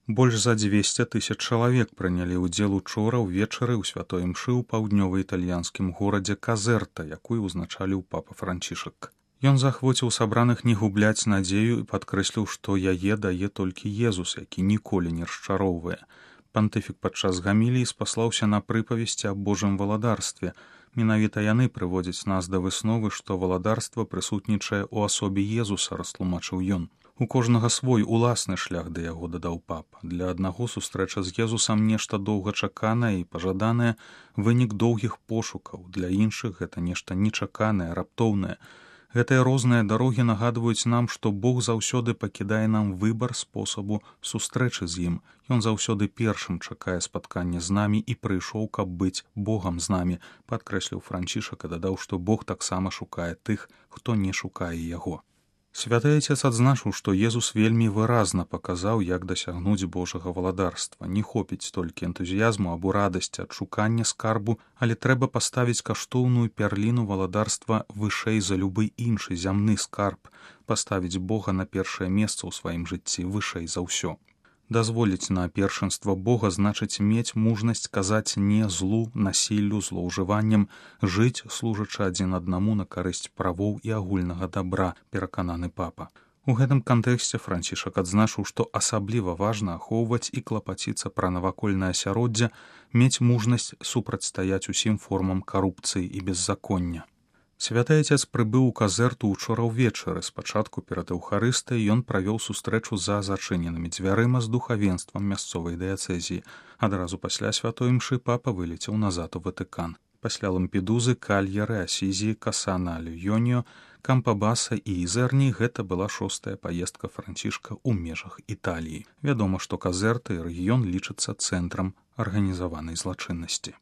Больш за 200 000 чалавек прынялі ўдзел учора ўвечары ў святой імшы ў паўднёва-італьянскім горадзе Казерта, якую ўзначаліў папа Францішак. Ён захвоціў сабраных не губляць надзею і падкрэсліў, што яе дае толькі Езус, які ніколі не расчароўвае. Пантыфік падчас гаміліі спаслаўся на прыпавесці аб Божым валадарстве. Менавіта яны прыводзяць нас да высновы, што валадарства прысутнічае ў асобе Езуса, растлумачыў ён. У кожнага свой уласны шлях да яго, дадаў папа. Для аднаго сустрэча з Езусам нешта доўгачаканае і пажаданае, вынік доўгіх пошукаў, для іншых гэта нешта нечаканае, раптоўнае. Гэтыя розныя дарогі нагадваюць нам, што Бог заўсёды пакідае нам выбар спосабу сустрэчы з ім. Ён заўсёды першым чакае спаткання з намі і прыйшоў, каб быць Богам з намі, падкрэсліў Францішак і дадаў, што Бог таксама шукае тых, хто не шукае яго. Святы Отец адзначыў, што Езус вельмі выразна паказаў, як дасягнуць Божага валадарства. Не хопіць толькі энтузіязму або радасці ад шукання скарбу, але трэба паставіць каштоўную пярліну валадарства вышэй за любы іншы зямны скарб, паставіць Бога на першае месца ў сваім жыцці вышэй за ўсё. Дазволіць на першынства Бога значыць мець мужнасць казаць не злу, насіллю, злоўжываннем, жыць, служачы адзін аднаму на карысць правоў і агульнага дабра, перакананы папа. У гэтым кантэксце Францішак адзначыў, што асабліва важна ахоўваць і клапаціцца пра навакольнае асяроддзе, мець мужнасць супрацьстаяць усім формам карупцыі і беззаконня. Святы Отец прыбыў у Казерту учора ўвечары. Спачатку перад Эўхарыстыяй ён правёў сустрэчу за зачыненымі дзвярыма з духавенствам мясцовай дыяцэзіі. Адразу пасля святой імшы папа вылецеў назад у Ватыкан. Пасля Лампедузы, Кальеры, Асізіі, Касана Аль-Йоніо, Кампабаса і Ізерні гэта была 6-я паездка Францішка ў межах Італіі. Вядома, што Казерта і рэгіён лічацца цэнтрам арганізаванай злачыннасці.